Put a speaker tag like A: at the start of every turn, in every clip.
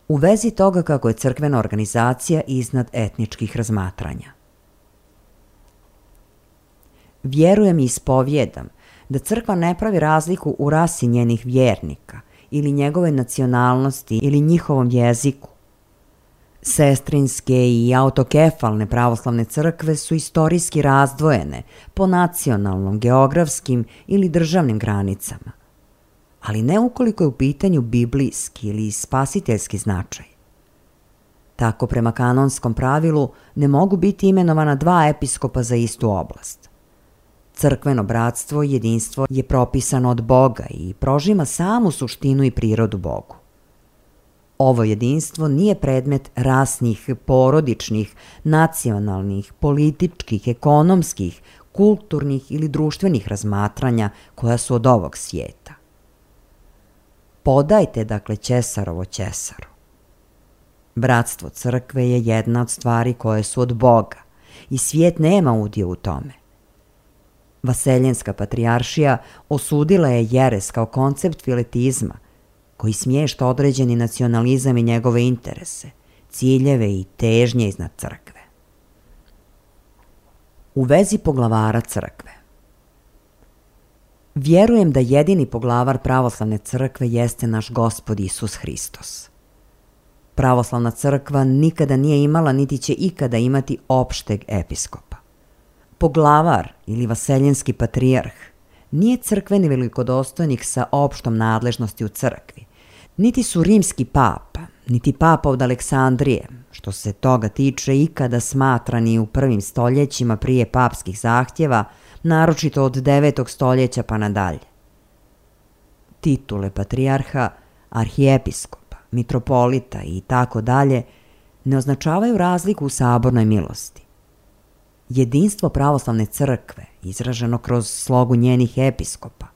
A: u vezi toga kako je crkvena organizacija iznad etničkih razmatranja. Vjerujem i ispovjedam da crkva ne pravi razliku u rasi njenih vjernika ili njegove nacionalnosti ili njihovom jeziku. Sestrinske i autokefalne pravoslavne crkve su istorijski razdvojene po nacionalnom, geografskim ili državnim granicama, ali ne ukoliko je u pitanju biblijski ili spasiteljski značaj. Tako prema kanonskom pravilu ne mogu biti imenovana dva episkopa za istu oblast. Crkveno bratstvo i jedinstvo je propisano od Boga i prožima samu suštinu i prirodu Bogu. Ovo jedinstvo nije predmet rasnih, porodičnih, nacionalnih, političkih, ekonomskih, kulturnih ili društvenih razmatranja koja su od ovog svijeta. Podajte, dakle, Ćesarovo Ćesaru. Bratstvo crkve je jedna od stvari koje su od Boga i svijet nema udio u tome. Vaseljenska patrijaršija osudila je jeres kao koncept filetizma koji smješta određeni nacionalizam i njegove interese, ciljeve i težnje iznad crkve. U vezi poglavara crkve. Vjerujem da jedini poglavar pravoslavne crkve jeste naš Gospod Isus Hristos. Pravoslavna crkva nikada nije imala niti će ikada imati opšteg episkopa. Poglavar ili vaseljenski patrijarh nije crkveni velikodostojnik sa opštom nadležnosti u crkvi, niti su rimski papa, niti papa od Aleksandrije, što se toga tiče ikada smatrani u prvim stoljećima prije papskih zahtjeva, naročito od 9. stoljeća pa nadalje. Titule patrijarha, arhijepiskopa, mitropolita i tako dalje ne označavaju razliku u sabornoj milosti. Jedinstvo pravoslavne crkve, izraženo kroz slogu njenih episkopa,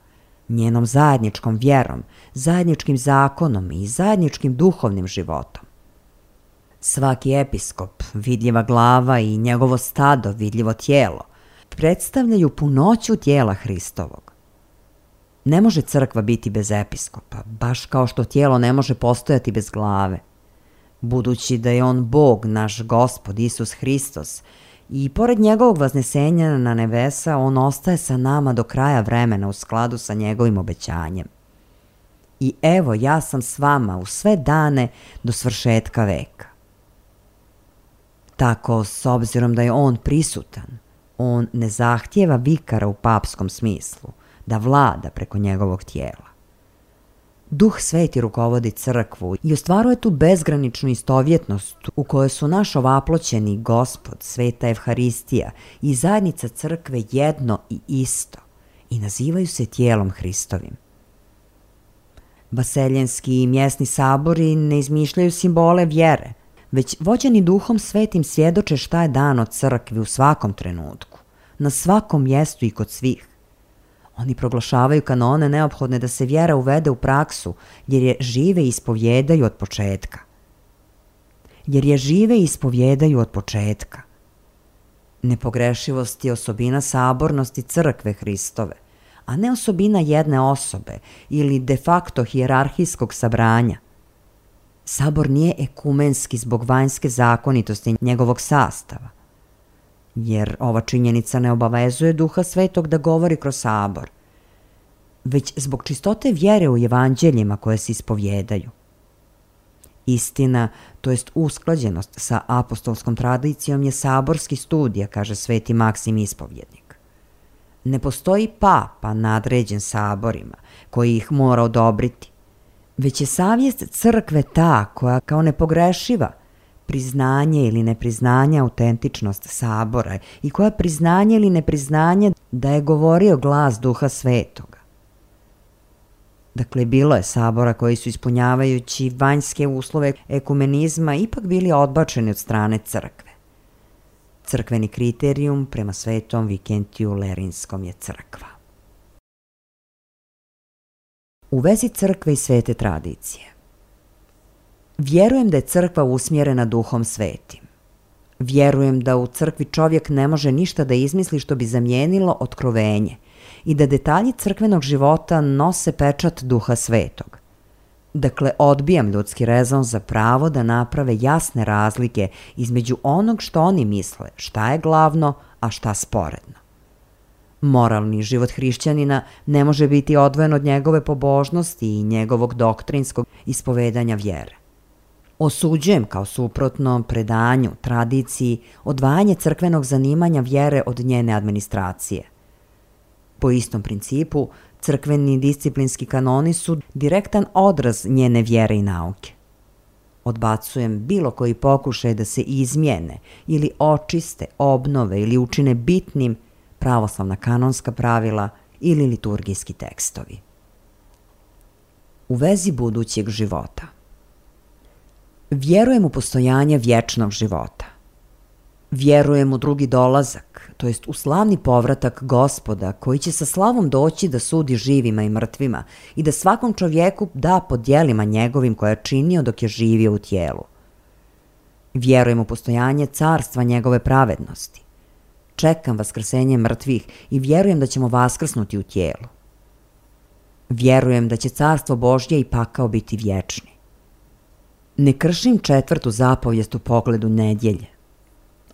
A: njenom zajedničkom vjerom, zajedničkim zakonom i zajedničkim duhovnim životom. Svaki episkop, vidljiva glava i njegovo stado, vidljivo tijelo, predstavljaju punoću tijela Hristovog. Ne može crkva biti bez episkopa, baš kao što tijelo ne može postojati bez glave. Budući da je on Bog, naš Gospod Isus Hristos, i pored njegovog vaznesenja na nebesa, on ostaje sa nama do kraja vremena u skladu sa njegovim obećanjem. I evo, ja sam s vama u sve dane do svršetka veka. Tako, s obzirom da je on prisutan, on ne zahtijeva vikara u papskom smislu, da vlada preko njegovog tijela. Duh Sveti rukovodi crkvu i ostvaruje tu bezgraničnu istovjetnost u kojoj su naš ovaploćeni Gospod, Sveta Evharistija i zajednica crkve jedno i isto i nazivaju se tijelom Hristovim. Vaseljenski i mjesni sabori ne izmišljaju simbole vjere, već vođeni Duhom Svetim svjedoče šta je dano crkvi u svakom trenutku, na svakom mjestu i kod svih. Oni proglašavaju kanone neophodne da se vjera uvede u praksu, jer je žive ispovjedaju od početka. Nepogrešivost je osobina sabornosti crkve Hristove, a ne osobina jedne osobe ili de facto hijerarhijskog sabranja. Sabor nije ekumenski zbog vanjske zakonitosti njegovog sastava, jer ova činjenica ne obavezuje Duha Svetog da govori kroz sabor, već zbog čistote vjere u evanđeljima koje se ispovjedaju. Istina, to jest usklađenost sa apostolskom tradicijom, je saborski studija, kaže sveti Maksim ispovjednik. Ne postoji papa nadređen saborima koji ih mora odobriti, već je savjest crkve ta koja kao nepogrešiva priznanje ili nepriznanje autentičnost sabora i koja priznanje ili nepriznanje da je govorio glas Duha Svetoga. Dakle, bilo je sabora koji su ispunjavajući vanjske uslove ekumenizma ipak bili odbačeni od strane crkve. Crkveni kriterijum prema svetom Vikentiju Lerinskom je crkva. U vezi crkve i svete tradicije. Vjerujem da je crkva usmjerena Duhom Svetim. Vjerujem da u crkvi čovjek ne može ništa da izmisli što bi zamijenilo otkrovenje i da detalji crkvenog života nose pečat Duha Svetog. Dakle, odbijam ljudski rezon za pravo da naprave jasne razlike između onog što oni misle, šta je glavno, a šta sporedno. Moralni život hrišćanina ne može biti odvojen od njegove pobožnosti i njegovog doktrinskog ispovedanja vjere. Osuđujem kao suprotno predanju, tradiciji, odvajanje crkvenog zanimanja vjere od njene administracije. Po istom principu, crkveni disciplinski kanoni su direktan odraz njene vjere i nauke. Odbacujem bilo koji pokušaj da se izmijene ili očiste, obnove ili učine bitnim pravoslavna kanonska pravila ili liturgijski tekstovi. U vezi budućeg života. Vjerujem u postojanje vječnog života. Vjerujem u drugi dolazak, to jest u slavni povratak Gospoda koji će sa slavom doći da sudi živima i mrtvima i da svakom čovjeku da po djelima njegovim koje je činio dok je živio u tijelu. Vjerujem u postojanje carstva njegove pravednosti. Čekam vaskrsenje mrtvih i vjerujem da ćemo vaskrsnuti u tijelu. Vjerujem da će carstvo Božje i pakao biti vječni. Ne kršim 4. zapovijest u pogledu nedjelje.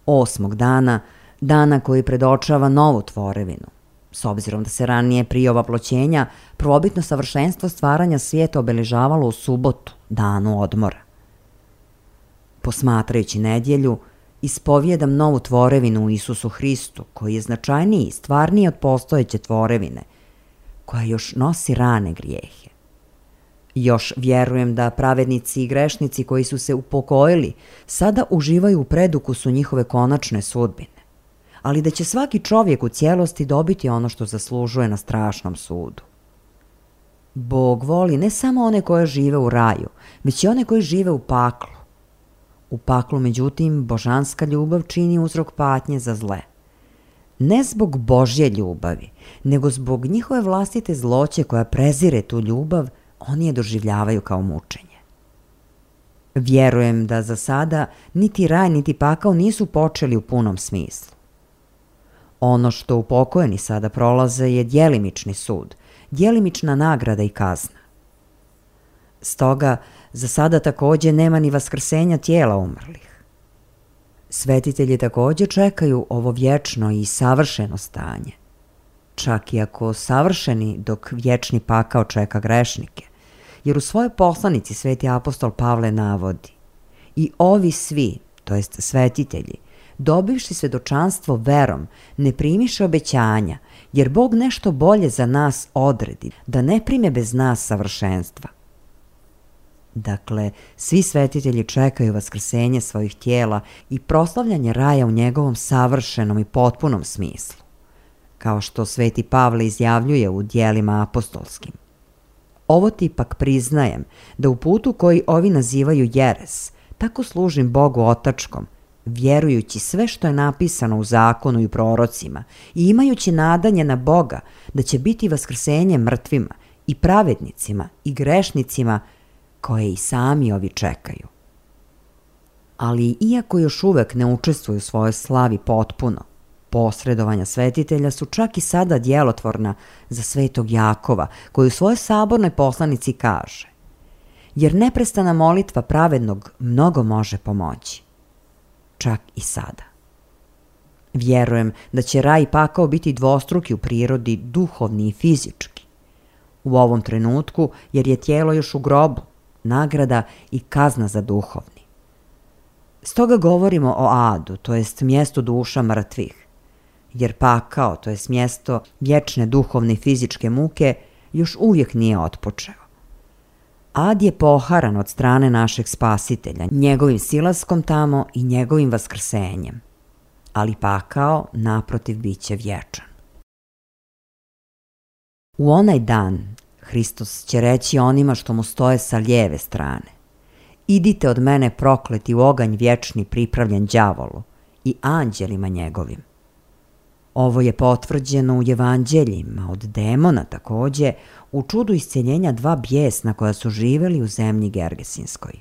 A: 8. dana koji predočava novu tvorevinu. S obzirom da se ranije prije ovaploćenja prvobitno savršenstvo stvaranja svijeta obeležavalo u subotu, danu odmora. Posmatrajući nedjelju, ispovijedam novu tvorevinu u Isusu Hristu, koji je značajniji i stvarniji od postojeće tvorevine, koja još nosi rane grijehe. Još vjerujem da pravednici i grešnici koji su se upokojili sada uživaju u predukusu njihove konačne sudbine, ali da će svaki čovjek u cijelosti dobiti ono što zaslužuje na strašnom sudu. Bog voli ne samo one koje žive u raju, već i one koji žive u paklu. U paklu, međutim, božanska ljubav čini uzrok patnje za zle. Ne zbog Božje ljubavi, nego zbog njihove vlastite zloće koja prezire tu ljubav, oni je doživljavaju kao mučenje. Vjerujem da za sada niti raj niti pakao nisu počeli u punom smislu. Ono što upokojeni sada prolaze je djelimični sud, djelimična nagrada i kazna. Stoga, za sada također nema ni vaskrsenja tijela umrlih. Svetitelji također čekaju ovo vječno i savršeno stanje. Čak i ako savršeni dok vječni pakao čeka grešnike, jer u svojoj poslanici sveti apostol Pavle navodi: i ovi svi, to jest svetitelji, dobivši svjedočanstvo verom, ne primiše obećanja, jer Bog nešto bolje za nas odredi, da ne prime bez nas savršenstva. Dakle, svi svetitelji čekaju vaskrsenje svojih tijela i proslavljanje raja u njegovom savršenom i potpunom smislu, kao što sveti Pavle izjavljuje u djelima apostolskim. Ovo ti ipak priznajem, da u putu koji ovi nazivaju jeres, tako služim Bogu otačkom, vjerujući sve što je napisano u zakonu i prorocima i imajući nadanje na Boga da će biti vaskrsenje mrtvima i pravednicima i grešnicima koje i sami ovi čekaju. Ali iako još uvek ne učestvuju u svojoj slavi potpuno, posredovanja svetitelja su čak i sada djelotvorna za svetog Jakova, koji u svojoj sabornoj poslanici kaže: jer neprestana molitva pravednog mnogo može pomoći. Čak i sada. Vjerujem da će raj i pakao biti dvostruki u prirodi, duhovni i fizički. U ovom trenutku, jer je tijelo još u grobu, nagrada i kazna za duhovni. Stoga govorimo o adu, to jest mjestu duša mrtvih, jer pakao, to jest mjesto vječne duhovne i fizičke muke, još uvijek nije otpočeo. Ad je poharan od strane našeg Spasitelja, njegovim silaskom tamo i njegovim vaskrsenjem, ali pakao, naprotiv, bit će vječan. U onaj dan Hristos će reći onima što mu stoje sa lijeve strane: idite od mene prokleti u oganj vječni pripravljen đavolu i anđelima njegovim. Ovo je potvrđeno u evanđeljima od demona također, u čudu isceljenja 2 bijesna koja su živjeli u zemlji Gergesinskoj.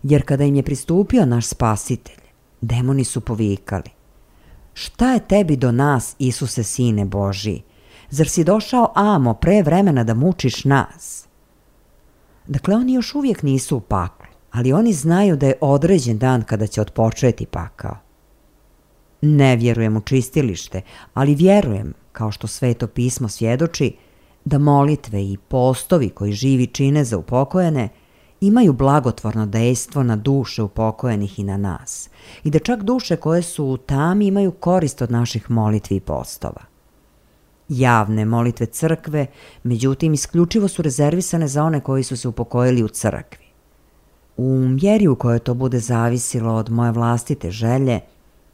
A: Jer kada im je pristupio naš Spasitelj, demoni su povikali: šta je tebi do nas, Isuse, sine Božiji? Zar si došao amo pre vremena da mučiš nas? Dakle, oni još uvijek nisu u paklu, ali oni znaju da je određen dan kada će otpočeti pakao. Ne vjerujem u čistilište, ali vjerujem, kao što Sveto pismo svjedoči, da molitve i postovi koji živi čine za upokojene imaju blagotvorno dejstvo na duše upokojenih i na nas, i da čak duše koje su u tami imaju korist od naših molitvi i postova. Javne molitve crkve, međutim, isključivo su rezervisane za one koji su se upokojili u crkvi. U mjeri u kojoj to bude zavisilo od moje vlastite želje,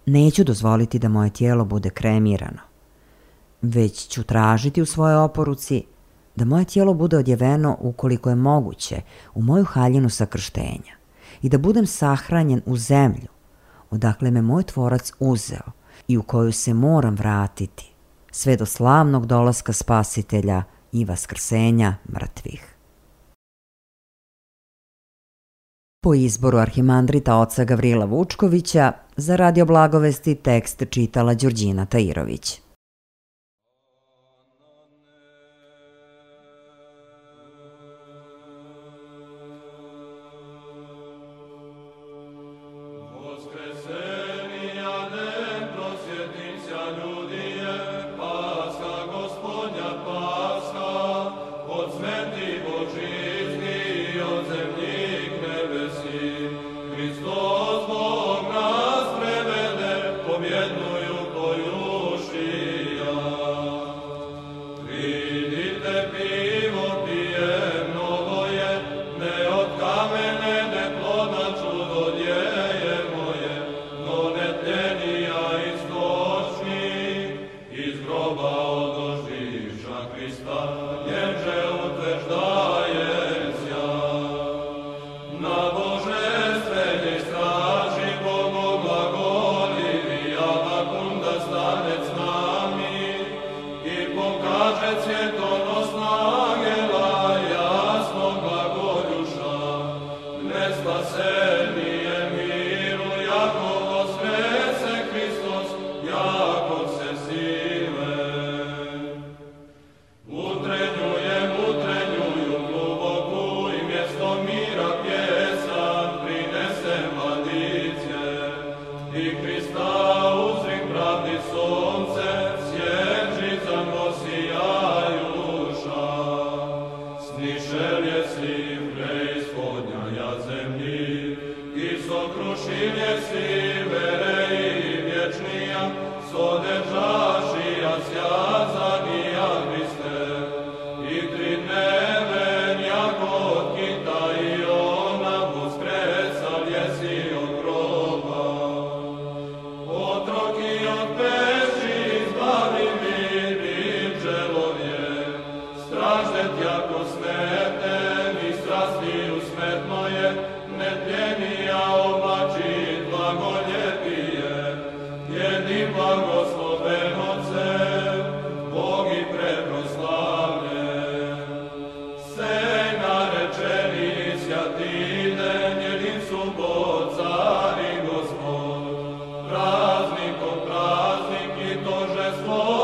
A: neću dozvoliti da moje tijelo bude kremirano, već ću tražiti u svojoj oporuci da moje tijelo bude odjeveno ukoliko je moguće u moju haljinu sakrštenja i da budem sahranjen u zemlju odakle me moj Tvorac uzeo i u koju se moram vratiti sve do slavnog dolaska Spasitelja i vaskrsenja mrtvih. Po izboru arhimandrita oca Gavrila Vučkovića, za Radio Blagovesti tekst čitala Đurđina Tajirović.
B: Praznikom praznik i to že svoj